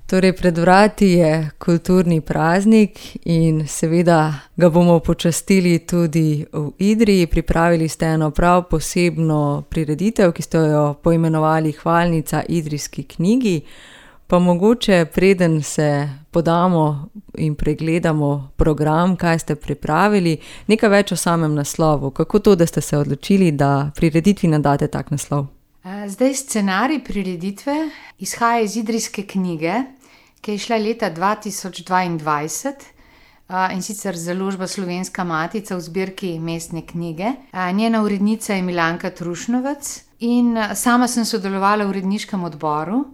Torej, pred vrati je kulturni praznik in seveda ga bomo počastili tudi v Idriji. Pripravili ste eno prav posebno prireditev, ki ste jo poimenovali Hvalnica idrijski knjigi. Pa mogoče preden se podamo in pregledamo program, kaj ste pripravili, nekaj več o samem naslovu. Kako to, da ste se odločili, da prireditvi nadate tak naslov? Zdaj scenarij prireditve izhaja iz idrijske knjige, ki je izšla leta 2022, in sicer založba Slovenska matica v zbirki Mestne knjige. Njena urednica je Milanka Trušnovec in sama sem sodelovala v uredniškem odboru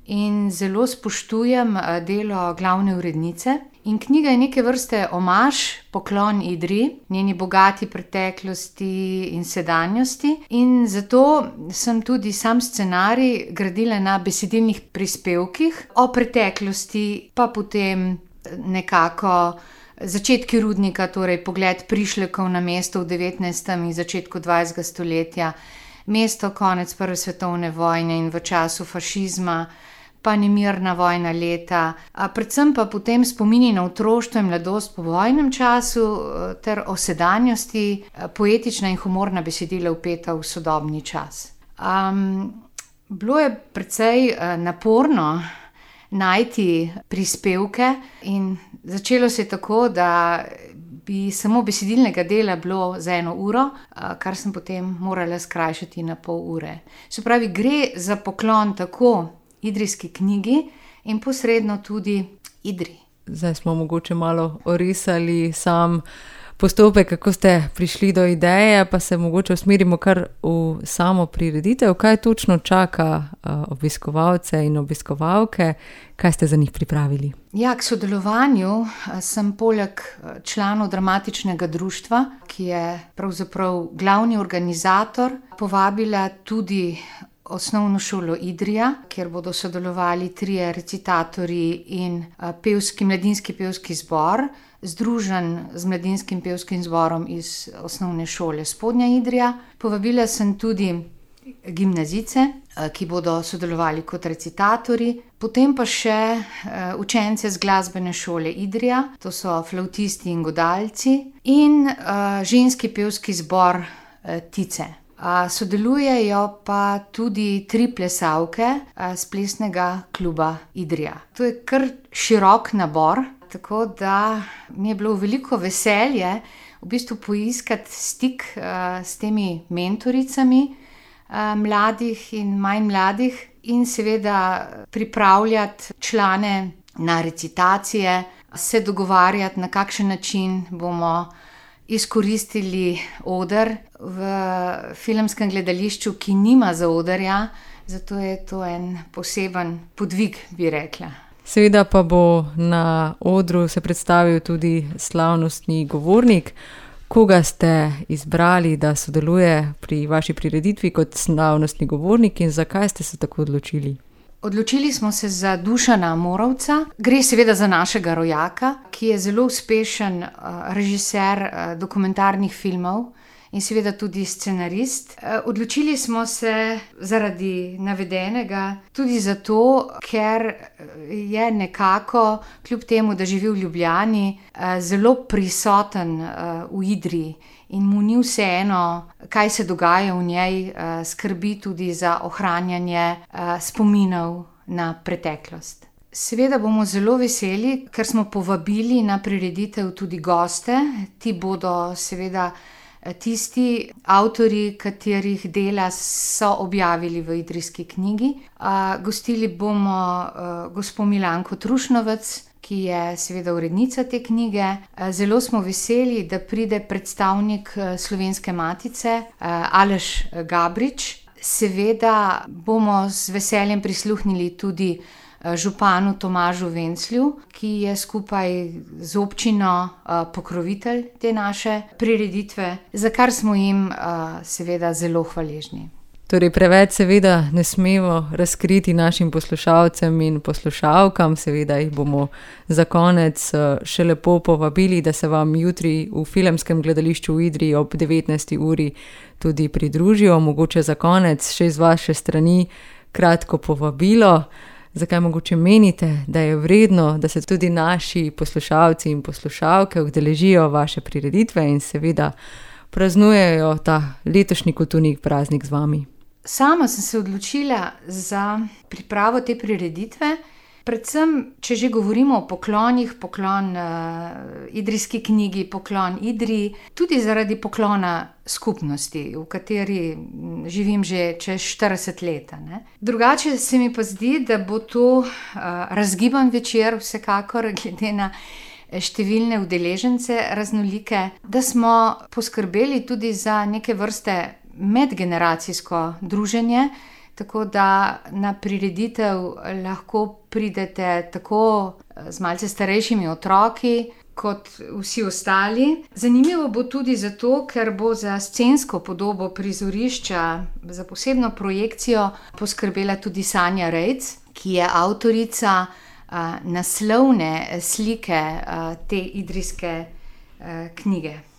in zelo spoštujem delo glavne urednice. In knjiga je neke vrste omaž, poklon Idriji, njeni bogati preteklosti in sedanjosti. In zato sem tudi sam scenarij gradila na besedilnih prispevkih o preteklosti, pa potem nekako začetki rudnika, torej pogled prišlekov na mesto v 19. in začetku 20. stoletja, mesto konec Prve svetovne vojne in v času fašizma, pa nemirna vojna leta, predvsem pa potem spomini na otroštvo in mladost po vojnem času ter o sedanjosti, poetična in humorna besedila vpeta v sodobni čas. Bilo je precej naporno najti prispevke in začelo se je tako, da bi samo besedilnega dela bilo za 1 uro, kar sem potem morala skrajšati na pol ure. Se pravi, gre za poklon tako idrijski knjigi in posredno tudi Idriji. Zdaj smo mogoče malo orisali sam postopek, kako ste prišli do ideje, pa se mogoče usmerimo kar v samo prireditev. Kaj točno čaka obiskovalce in obiskovalke? Kaj ste za njih pripravili? Ja, k sodelovanju sem poleg članov dramatičnega društva, ki je pravzaprav glavni organizator, povabila tudi Osnovno šolo Idrija, kjer bodo sodelovali 3 recitatorji in mladinski pevski zbor, združen z mladinskim pevskim zborom iz Osnovne šole Spodnja Idrija. Povabila sem tudi gimnazijce, ki bodo sodelovali kot recitatorji, potem pa še učence z glasbene šole Idrija, to so flavtisti in godalci, in ženski pevski zbor Tice. Sodelujejo pa tudi 3 plesalke s plesnega kluba Idrija. To je kar širok nabor, tako da mi je bilo veliko veselje v bistvu poiskati stik s temi mentoricami mladih in manj mladih in seveda pripravljati člane na recitacije, se dogovarjati, na kakšen način bomo izkoristili oder v filmskem gledališču, ki nima zaodrja, zato je to en poseben podvig, bi rekla. Seveda pa bo na odru se predstavil tudi slavnostni govornik. Koga ste izbrali, da sodeluje pri vaši prireditvi kot slavnostni govornik in zakaj ste se tako odločili? Odločili smo se za Dušana Morovca. Gre seveda za našega rojaka, ki je zelo uspešen režiser dokumentarnih filmov in seveda tudi scenarist. Odločili smo se zaradi navedenega tudi zato, ker je nekako, kljub temu, da živi v Ljubljani, zelo prisoten v Idriji in mu ni vseeno, kaj se dogaja v njej, skrbi tudi za ohranjanje spominov na preteklost. Seveda bomo zelo veseli, ker smo povabili na prireditev tudi goste. Ti bodo seveda tisti avtorji, katerih dela so objavili v idrijski knjigi. Gostili bomo gospo Milanko Trušnovec, ki je seveda urednica te knjige. Zelo smo veseli, da pride predstavnik Slovenske matice, Aleš Gabrič. Seveda bomo z veseljem prisluhnili tudi županu Tomažu Venclju, ki je skupaj z občino pokrovitelj te naše prireditve, za kar smo jim seveda zelo hvaležni. Torej, preveč seveda ne smemo razkriti našim poslušalcem in poslušalkam, seveda jih bomo za konec še lepo povabili, da se vam jutri v filmskem gledališču v Idriji ob 19. uri tudi pridružijo. Mogoče za konec še iz vaše strani kratko povabilo. zakaj mogoče menite, da je vredno, da se tudi naši poslušalci in poslušalke udeležijo vaše prireditve in seveda praznujejo ta letošnji kulturni praznik z vami? Sama sem se odločila za pripravo te prireditve, predvsem, če že govorimo o poklonih, poklon idrijski knjigi, poklon Idriji, tudi zaradi poklona skupnosti, v kateri živim že čez 40 let. Drugače se mi pa zdi, da bo to razgiban večer, vsekakor, glede na številne udeležence raznolike, da smo poskrbeli tudi za neke vrste medgeneracijsko druženje, tako da na prireditev lahko pridete tako z malce starejšimi otroki, kot vsi ostali. Zanimivo bo tudi zato, ker bo za scensko podobo prizorišča, za posebno projekcijo poskrbela tudi Sanja Rejc, ki je avtorica naslovne slike te idrijske knjige.